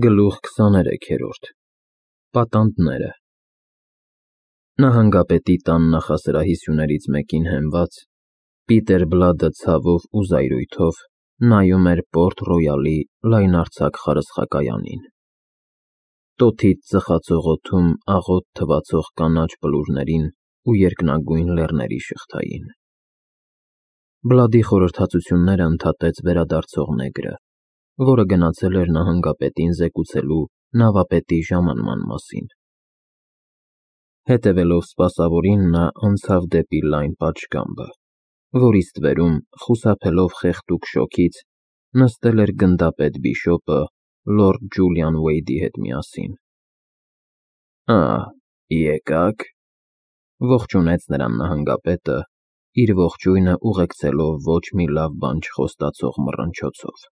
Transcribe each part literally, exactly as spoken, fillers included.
Գլուխ քսաներեքերորդ Պատանդները Նահանգապետի տան նախասրահի սյուներից մեկին հենված, Պիտեր Բլադը ցավով ու զայրույթով նայում էր Պորտ Ռոյալի լայնարձակ խարսխակայանին. տոթից ծխացող օդում աղոտ թվացող կանաչ բլուրներին ու երկնագույն լեռների շղթային։ Բլադի խորհրդածությունները ընդհատեց վերադարձող նեգրը, որը գնացել էր նահանգապետին զեկուցելու նավապետի ժամանման մասին։ Հետևելով սպասավորին, նա անցավ դեպի լայն պատշգամբը, որի ստվերում, խուսափելով խեղդուկ շոգից, նստել էր գնդապետ բիշոպը լորդ Ջուլիան Ուեյդի հետ միասին։ Ա, եկա՞ք, ողջունեց նրան նահանգապետը, իր ողջույնը ուղեկցելով ոչ մի լավ բան չխոստացող մռնչոցով։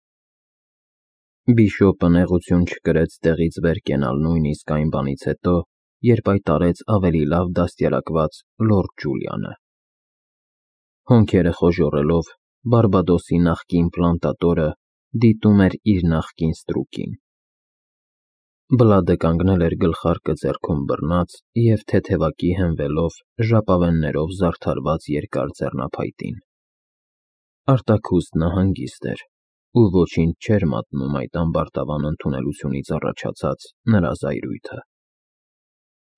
Բիշոպը նեղություն չկրեց տեղից վեր կենալ նույնիսկ այն բանից հետո, երբ հայտարարեց ավելի լավ դաստիարակված լորդ Ջուլիանը։ Հոնքերը խոժոռելով, Բարբադոսի նախկին պլանտատորը դիտում էր իր նախկին ստրուկին։ Բլադը կանգնել էր գլխարկը ձեռքում բռնած և թեթևակի հենվելով ժապավեններով զարդարված երկար ձեռնափայտին։ Արտաքուստն հանգիստ էր, ու ոչինչ չէր մատնում այդ ամբարտավան ընդունելությունից առաջացած նրա զայրույթը։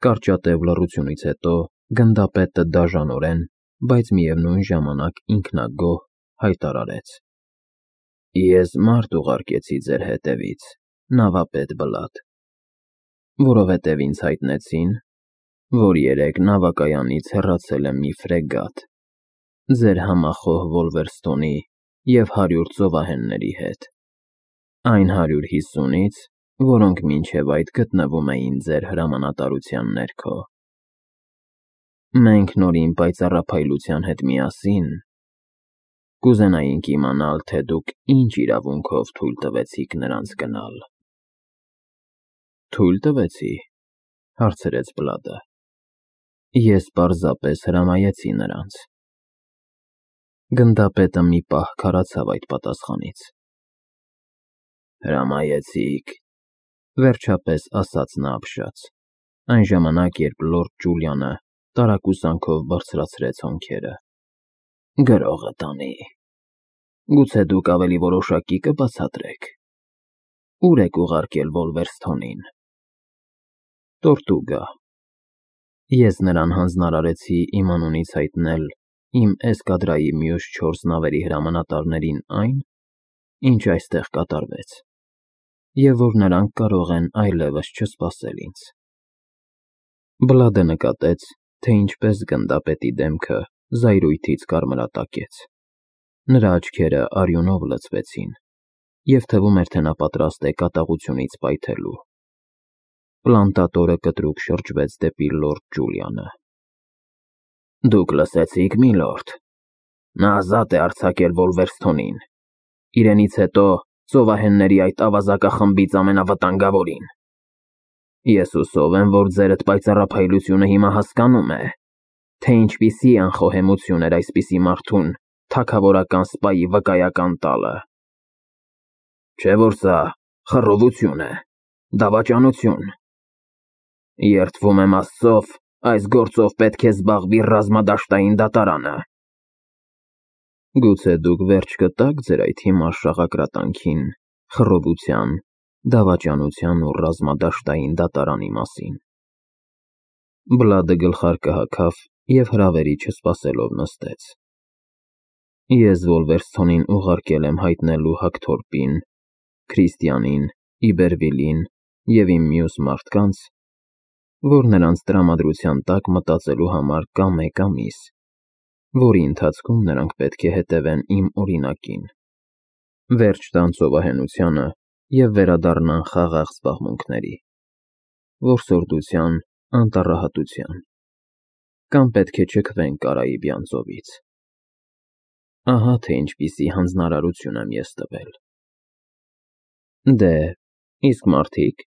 Կարճատև լռությունից հետո գնդապետը դաժանորեն, բայց միևնույն ժամանակ ինքնագոհ հայտարարեց. Ես մարդ ուղարկեցի ձեր հետևից, նավապետ Բլադ, որովհետև ինձ հայտնեցին, որ երեկ նավակայանից հեռացել է մի ֆրեգատ, ձեր համախոհ Վոլվերստոնի և հարյուր ծովահենների հետ, այն հարյուր հիսունից, որոնք մինչև այդ գտնվում էին ձեր հրամանատարության ներքո։ Մենք նորին պայծառափայլության հետ միասին կուզենայինք իմանալ, թե դուք ինչ իրավունքով թույլ տվեցիք նրանց գնալ։ Թույլ տվեցի, հարցրեց Բլադը։ Ես պարզապես հրամայեցի նրանց։ Գնդապետը մի պահ քարացավ այդ պատասխանից։ Հրամայեցիք, վերջապես ասաց նա ապշած, այն ժամանակ, երբ լորդ Ջուլիանը տարակուսանքով բարձրացրեց հոնքերը։ Գրողը տանի։ Գուցե դուք ավելի որոշակի կբացատրեք։ Ո՞ւր եք ուղարկել Վոլվերստոնին։ Տորտուգա։ Ես նրան հանձնարարեցի իմ անունից հայտնել իմ էսկադրայի մյուս չորս նավերի հրամանատարներին այն, ինչ այստեղ կատարվեց, և որ նրանք կարող են այլևս չսպասել ինձ։ Բլադը նկատեց, թե ինչպես գնդապետի դեմքը զայրույթից կարմրատակեց։ Նրա աչքերը արյունով լցվեցին, և թվում էր, թե նա պատրաստ է կատաղությունից պայթելու։ Պլանտատորը կտրուկ շրջվեց դեպի լորդ Ջուլիանը։ Դուք լսեցի՞ք, միլորդ, նա ազատ է արձակել Վոլվերստոնին, իրենից հետո ծովահենների այդ ավազակախմբից ամենավտանգավորին։ Ես հուսով եմ, որ ձերդ պայծառափայլությունը հիմա հասկանում է, թե ինչպիսի անխոհեմություն էր այսպիսի մարդուն թագավորական սպայի վկայական տալը։ Չէ՞ որ սա խռովություն է, դավաճանություն։ Երդվում եմ Աստծով, այս գործով պետք է զբաղվի ռազմադաշտային դատարանը։ Գուցե դուք վերջ կտա՞ք ձեր այդ հիմար շաղակրատանքին խռովության, դավաճանության ու ռազմադաշտային դատարանի մասին։ Բլադը գլխարկը հագավ և հրավերի չսպասելով նստեց։ Ես Վոլվերստոնին ուղարկել եմ հայտնելու Հակթորպին, Քրիստիանին, Իբերվիլին և իմ մյուս մարդկանց, որ նրանց տրամադրության տակ մտածելու համար կա մեկ ամիս, որի ընթացքում նրանք պետք է հետևեն իմ օրինակին, վերջ տան ծովահենությանը և վերադառնան խաղաղ զբաղմունքների, որսորդության, անտառահատության, կամ պետք է չքվեն Կարաիբյան ծովից։ Ահա թե ինչպիսի հանձնարարություն եմ ես տվել։ Դե, իսկ մարդիկ։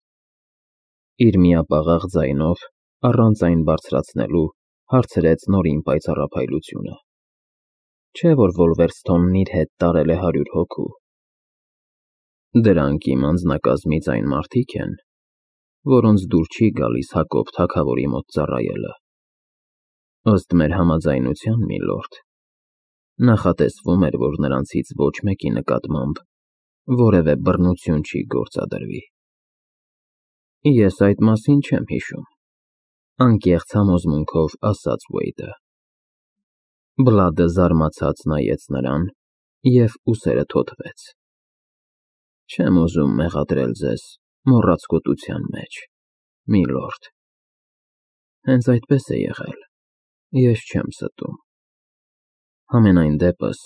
Իր միապաղաղ ձայնով, առանց այն բարձրացնելու, հարցրեց նորին պայծառափայլությունը։ Չէ՞ որ Վոլվերստոնն իր հետ տարել է հարյուր հոգու։ Դրանք իմ անձնակազմից այն մարդիկ են, որոնց դուր չի գալիս Հակոբ թագավորի մոտ ծառայելը։ Ըստ մեր համաձայնության, միլորդ, նախատեսվում էր, որ նրանցից ոչ մեկի նկատմամբ որևէ բռնություն չի գործադրվի։ Ես այդ մասին չեմ հիշում, անկեղծ համոզմունքով ասաց Ուեյդը։ Բլադը զարմացած նայեց նրան և ուսերը թոթվեց։ Չեմ ուզում մեղադրել ձեզ մոռացկոտության մեջ, միլորդ։ Հենց այդպես է եղել, ես չեմ ստում։ Համենայն դեպս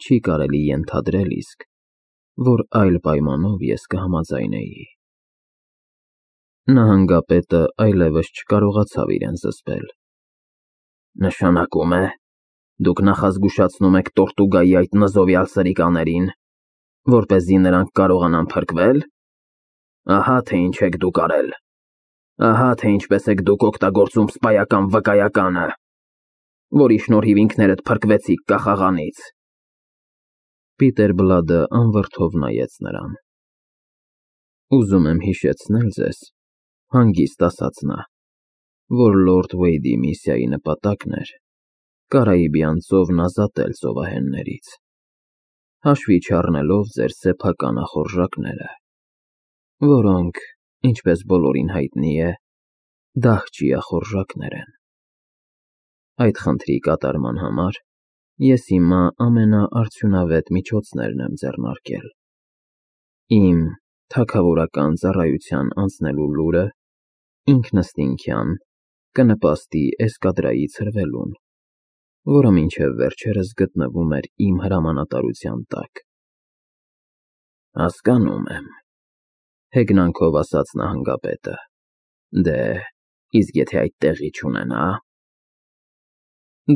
չի կարելի ենթադրել իսկ, որ այլ պայմանով ես կհամաձայնեի։ Նահանգապետը այլևս չկարողացավ իրեն զսպել։ Նշանակում է, դուք նախազգուշացնում եք Տորտուգայի այդ նզովյալ սրիկաներին, որպեսզի նրանք կարողանան փրկվել։ Ահա թե ինչ եք դուք արել։ Ահա թե ինչպես եք դուք օգտագործում սպայական վկայականը, որի շնորհիվ ինքներդ փրկվեցիք կախաղանից։ Պիտեր Բլադը անվրդով նայեց նրան։ Ուզում եմ հիշեցնել ձեզ, հանգիստ ասաց նա, որ լորդ Ուեյդի միսիայի նպատակն էր Կարիբյան ծովն ազատել ծովահեններից, հաշվի չառնելով ձեր սեփական ախորժակները, որոնք, ինչպես բոլորին հայտնի է, դահճի ախորժակներ են։ Այդ խնդրի կատարման համար ես հիմա ամենաարդյունավետ միջոցներն եմ ձեռնարկել։ Իմ թագավորական ծառայության անցնելու լուրը ինքնըստինքյան կնպաստի էսկադրայի ցրվելուն, որը մինչև վերջերս գտնվում էր իմ հրամանատարության տակ։ Հասկանում եմ, հեգնանքով ասաց նահանգապետը։ Դե, իսկ եթե այդ տեղի չունենա։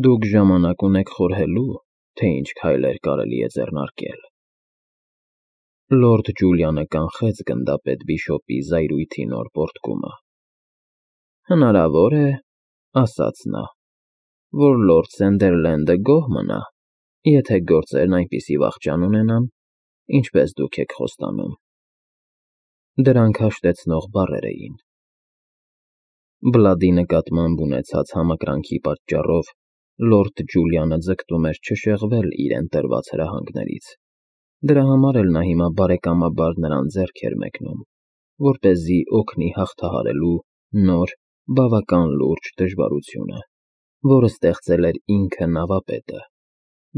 Դուք ժամանակ ունեք խորհելու, թե ինչ քայլեր կարելի է ձեռնարկել։ Լորդ Ջուլիանը կանխեց գնդապետ Բիշոպի զայրույթի նոր պոռթկումը։ Հնարավոր է, ասաց նա, որ լորդ Սանդերլենդը գոհ մնա, եթե գործերն այնպիսի վախճան ունենան, ինչպես դուք եք խոստանում։ Դրանք հաշտեցնող բառեր էին։ Բլադի նկատմամբ ունեցած համակրանքի պատճառով լորդ Ջուլիանը ձգտում էր չշեղվել իրեն տրված հրահանգներից։ Դրա համար էլ նա հիմա բարեկամաբար նրան ձեռք էր մեկնում, որպեսզի օգնի հաղթահարելու նոր, բավական լուրջ դժվարությունը, որը ստեղծել էր ինքը նավապետը,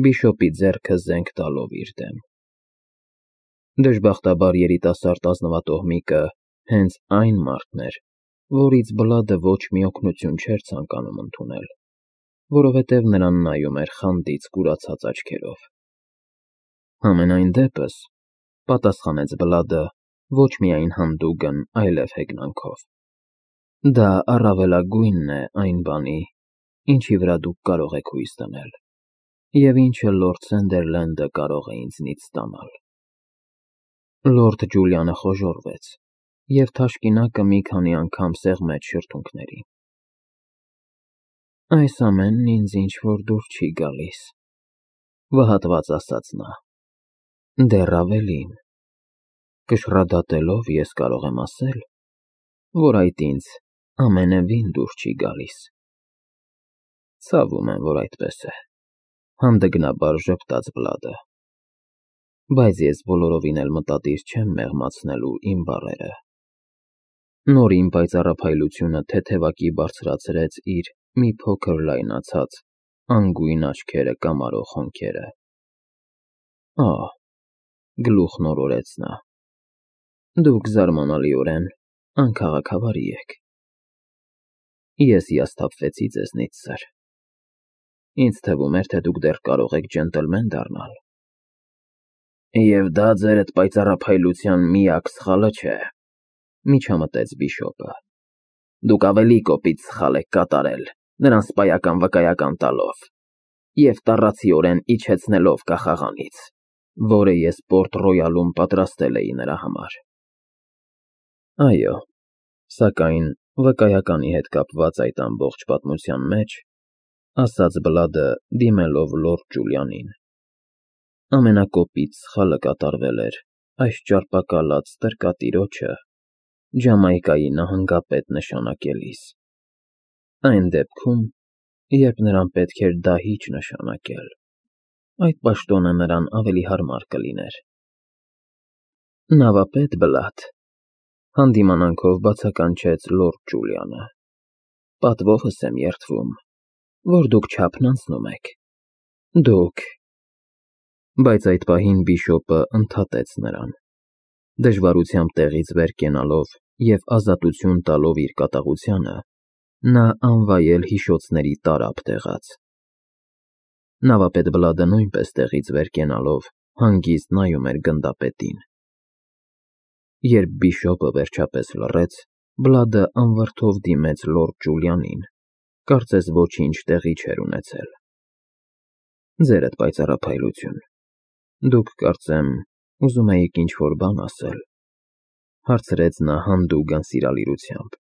Բիշոպի ձեռքը զենք տալով իր դեմ։ Դժբախտաբար երիտասարդ ազնվատոհմիկը հենց այն մարդն էր, որից Բլադը ոչ մի օգնություն չէր ցանկանում ընդունել, որովհետև նրան նայում էր խանդից կուրացած աչքերով։ Համենայն դեպս, պատասխանեց Բլադը ոչ միայն հանդուգն, այլև հեգնանքով։ Դա առավելագույնն է այն բանի, ինչի վրա դուք կարող եք հույս դնել, և ինչը լորդ Սանդերլենդը կարող է ինձնից ստանալ։ Լորդ Ջուլիանը խոժոռվեց, և թաշկինակը մի քանի անգամ սեղմեց շրթունքներին։ Այս ամենն ինձ ինչ-որ դուր չի գալիս, վհատված ասաց նա։ Դեռ ավելին, կշռադատելով ես կարող եմ ասել, որ այդ ինձ ամենևին դուր չի գալիս։ Ցավում եմ, որ այդպես է, հանդգնաբար ժպտաց Բլադը, բայց ես բոլորովին էլ մտադիր չեմ մեղմացնելու իմ բառերը։ Նոր իմ պայծառափայլությունը թեթևակի բարձրացրեց իր մի փոքր լայնացած, անգույն աչքերը կամարող հոնքերը։ Ահ, գլուխն օրորեց նա, դուք զարմանալիորեն անքաղաքավարի եք։ Ես հիասթափվեցի ձեզնից, սըր։ Ինձ թվում էր, թե դուք դեռ կարող եք ջենտլմեն դառնալ։ Եվ դա ձերդ պայծառափայլության միակ սխալը չէ, միջամտեց Բիշոպը։ Դուք ավելի կոպիտ սխալ եք կատարել, նրան սպայական վկայական տալով և տառացիորեն իջեցնելով կախաղանից, որը ես Պորտ Ռոյալում պատրաստել էի նրա համար։ Այո, սակայն վկայականի հետ կապված այդ ամբողջ պատմության մեջ, ասաց Բլադը, դիմելով լորդ Ջուլիանին, ամենակոպիտ սխալը կատարվել էր այս ճարպակալած տրկատիրոջը Ջամայկայի նահանգապետ նշանակելիս, այն դեպքում, երբ նրան պետք էր դահիճ նշանակել, այդ պաշտոնը նրան ավելի հարմար կլիներ։ Նավապետ Բլադ, հանդիմանանքով բացականչեց լորդ Ջուլիանը, պատվովս եմ երդվում, որ դուք չափն անցնում եք, դուք… Բայց այդ պահին բիշոպը ընդհատեց նրան, դժվարությամբ տեղից վեր կենալով և ազատություն տալով իր կատաղությանը, նա անվայել հիշոցների տարափ տեղաց։ Նավապետ Բլադը նույնպես տեղից վեր կենալով հանգիստ նայում էր գնդապետին։ Երբ բիշոպը վերջապես լռեց, Բլադը անվրդով դիմեց լորդ Ջուլիանին, կարծես ոչինչ տեղի չէր ունեցել։ Ձերդ պայծառափայլություն, դուք, կարծեմ, ուզում էիք ինչ-որ բան ասել, հարցրեց նա հանդուգն սիրալիրությամբ։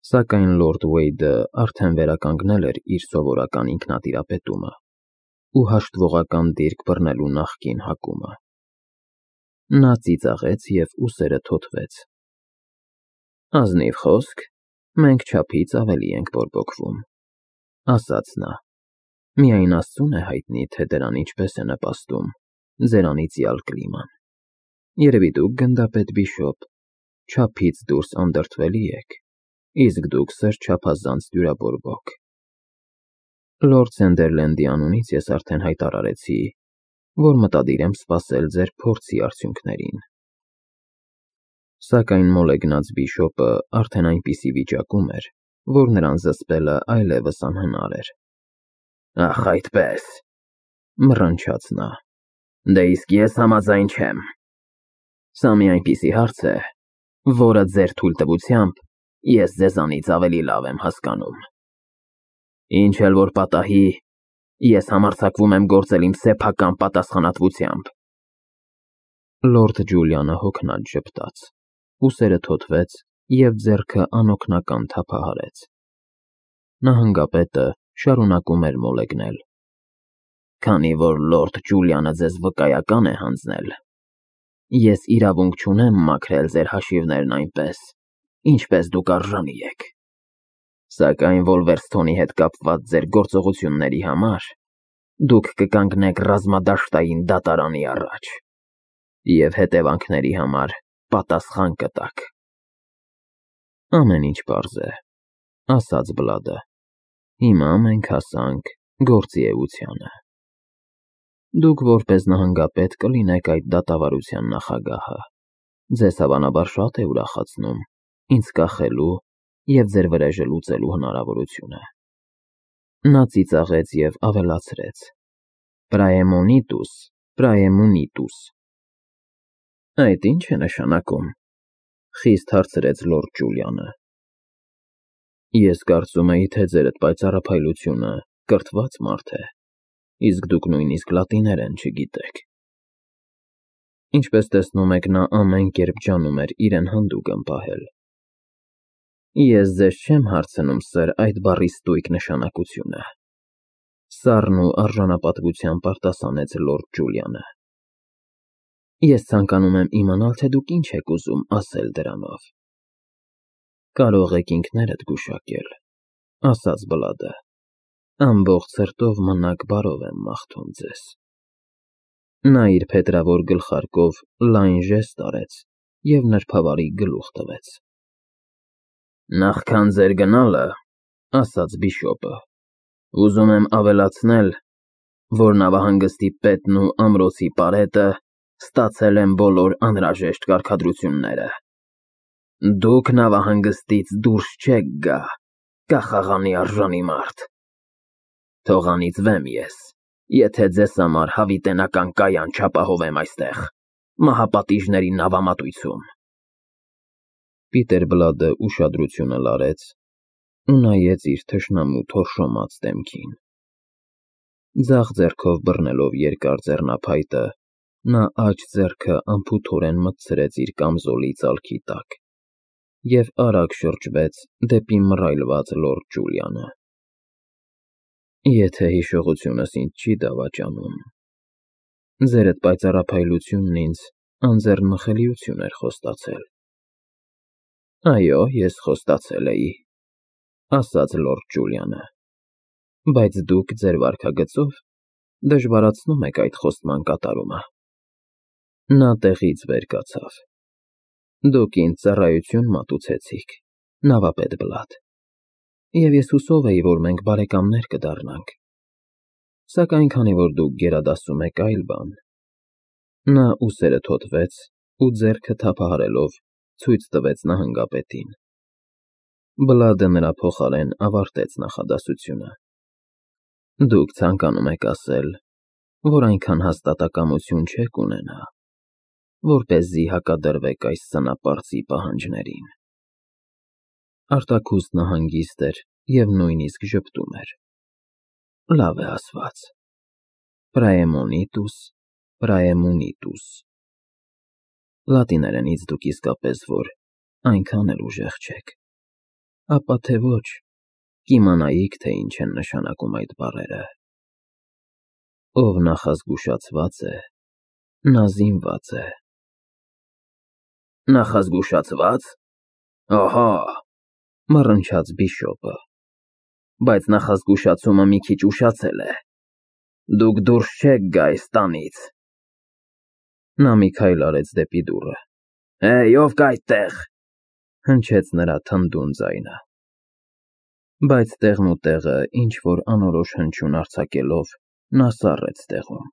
Սակայն լորդ Վեյդը արդեն վերականգնել էր իր սովորական ինքնատիրապետումը ու հաշտվողական դիրք բռնելու նախկին հակումը։ Նա ծիծաղեց և ուսերը թոթվեց։ Ազնիվ խոսք, մենք չափից ավելի ենք բորբոքվում, ասաց նա, միայն Աստծուն է հայտնի, թե դրան ինչպես է նպաստում ձեր անիծյալ կլիման։ Երևի դուք, գնդապետ բիշոպ, չափից դուրս անդրդվելի եք, իսկ դուք սրճափազանց դյուրաբորբոք։ Լորդ Սենդերլենդի անունից ես արդեն հայտարարեցի, որ մտադիր եմ սպասել ձեր փորձի արդյունքներին։ Սակայն մոլեգնած բիշոպը արդեն այնպիսի վիճակում էր, որ նրան զսպելը այլևս անհնար էր։ Ախ, այդպես, մռնչաց նա, դե իսկ ես համաձայն չեմ։ Սա մի այնպիսի հարց է, որը ձեր թույլտվությամբ ես ձեզանից ավելի լավ եմ հասկանում։ Ինչ էլ որ պատահի, ես համարձակվում եմ գործել իմ սեփական պատասխանատվությամբ։ Լորդ Ջուլիանը հոգնած ժպտաց, ուսերը թոթվեց և ձեռքը անօգնական թափահարեց։ Նահանգապետը շարունակում էր մոլեգնել. Քանի որ լորդ Ջուլիանը ձեզ վկայական է հանձնել, ես իրավունք չունեմ մաքրել ձեր հաշիվներն այնպես, ինչպես դուք արժանի եք։ Սակայն Վոլվերսթոնի հետ կապված ձեր գործողությունների համար դուք կկանգնեք ռազմադաշտային դատարանի առաջ և հետևանքների համար պատասխան կտաք։ Ամեն ինչ պարզ է, ասաց Բլադը, հիմա մենք հասանք գործի էությանը։ Դուք որպես նահանգապետ կլինեք այդ դատավարության նախագահը, ձեզ հավանաբար շատ է ուրախացնում ինձ կախելու և ձեր վրեժը լուծելու հնարավորությունը։ Նա ծիծաղեց և ավելացրեց. Praemonitotus, praemunitus։ Այդ ի՞նչ է նշանակում, խիստ հարցրեց լորդ Ջուլիանը։ Ես կարծում էի, թե ձերդ պայծառափայլությունը կրթված մարդ է, իսկ դուք նույնիսկ լատիներեն չգիտեք։ Ինչպես տեսնում եք, նա ամեն կերպ ջանում էր իրեն հանդուգն պահել։ Ես ձեզ չեմ հարցնում, սըր, այդ բառի ստույգ նշանակությունը, սառն ու արժանապատվությամբ արտասանեց լորդ Ջուլիանը։ Ես ցանկանում եմ իմանալ, թե դուք ինչ եք ուզում ասել դրանով։ Կարող եք ինքներդ գուշակել, ասաց Բլադը, ամբողջ սրտով մնաք բարով եմ մաղթում ձեզ։ Նա իր փետրավոր գլխարկով լայն ժեստ արեց և նրբավարի գլուխ տվեց։ Նախքան ձեր գնալը, ասաց բիշոպը, ուզում եմ ավելացնել, որ նավահանգստի պետն ու ամրոցի պարետը ստացել են բոլոր անհրաժեշտ կարգադրությունները։ Դուք նավահանգստից դուրս չեք գա, կախաղանի արժանի մարդ։ Թող անիծվեմ ես, եթե ձեզ համար հավիտենական կայան չապահովեմ այստեղ, մահապատիժների նավամատույցում։ Պիտեր Բլադը ուշադրությունը լարեց ու նայեց իր թշնամու թորշոմած դեմքին։ Ձախ ձեռքով բռնելով երկար ձեռնափայտը, նա աջ ձեռքը անփութորեն մտցրեց իր կամզոլի ծալքի տակ և արագ շրջվեց դեպի մռայլված լորդ Ջուլիանը։ Եթե հիշողությունս ինձ չի դավաճանում, ձերդ պայծառափայլությունն ինձ անձեռնմխելիություն էր խոստացել։ Այո, ես խոստացել էի, ասաց լորդ Ջուլիանը, բայց դուք ձեր վարքագծով դժվարացնում եք այդ խոստման կատարումը։ Նա տեղից վեր կացավ։ Դուք ինձ ծառայություն մատուցեցիք, նավապետ Բլադ, և ես հուսով էի, որ մենք բարեկամներ կդառնանք, սակայն քանի որ դուք գերադասում եք այլ բան… Նա ուսերը թոթվեց ու ձեռքը թափահարելով ցույց տվեց նահանգապետին։ Բլադը նրա փոխարեն ավարտեց նախադասությունը. Դուք ցանկանում եք ասել, որ այնքան հաստատակամություն չեք ունենա, որպեսզի հակադրվեք այս սնապարծի պահանջներին։ Արտաքուստնը հանգիստ էր և նույնիսկ ժպտում էր։ Լավ է ասված. Praemonitus, praemunitus։ Լատիներենից դուք իսկապես որ այնքան էլ ուժեղ չեք, ապա թե ոչ, կիմանայիք, թե ինչ են նշանակում այդ բառերը. ով նախազգուշացված է, նա զինված է։ Նախազգուշացվա՞ծ, ահա, մռնչաց բիշոպը, բայց նախազգուշացումը մի քիչ ուշացել է, դուք դուրս չեք գա այս տանից։ Նա մի քայլ արեց դեպի դուռը։ Հեյ, ով կա այդտեղ, հնչեց նրա թնդուն ձայնը։ Բայց տեղնուտեղը ինչ-որ անորոշ հնչյուն արձակելով, նա սառեց տեղում։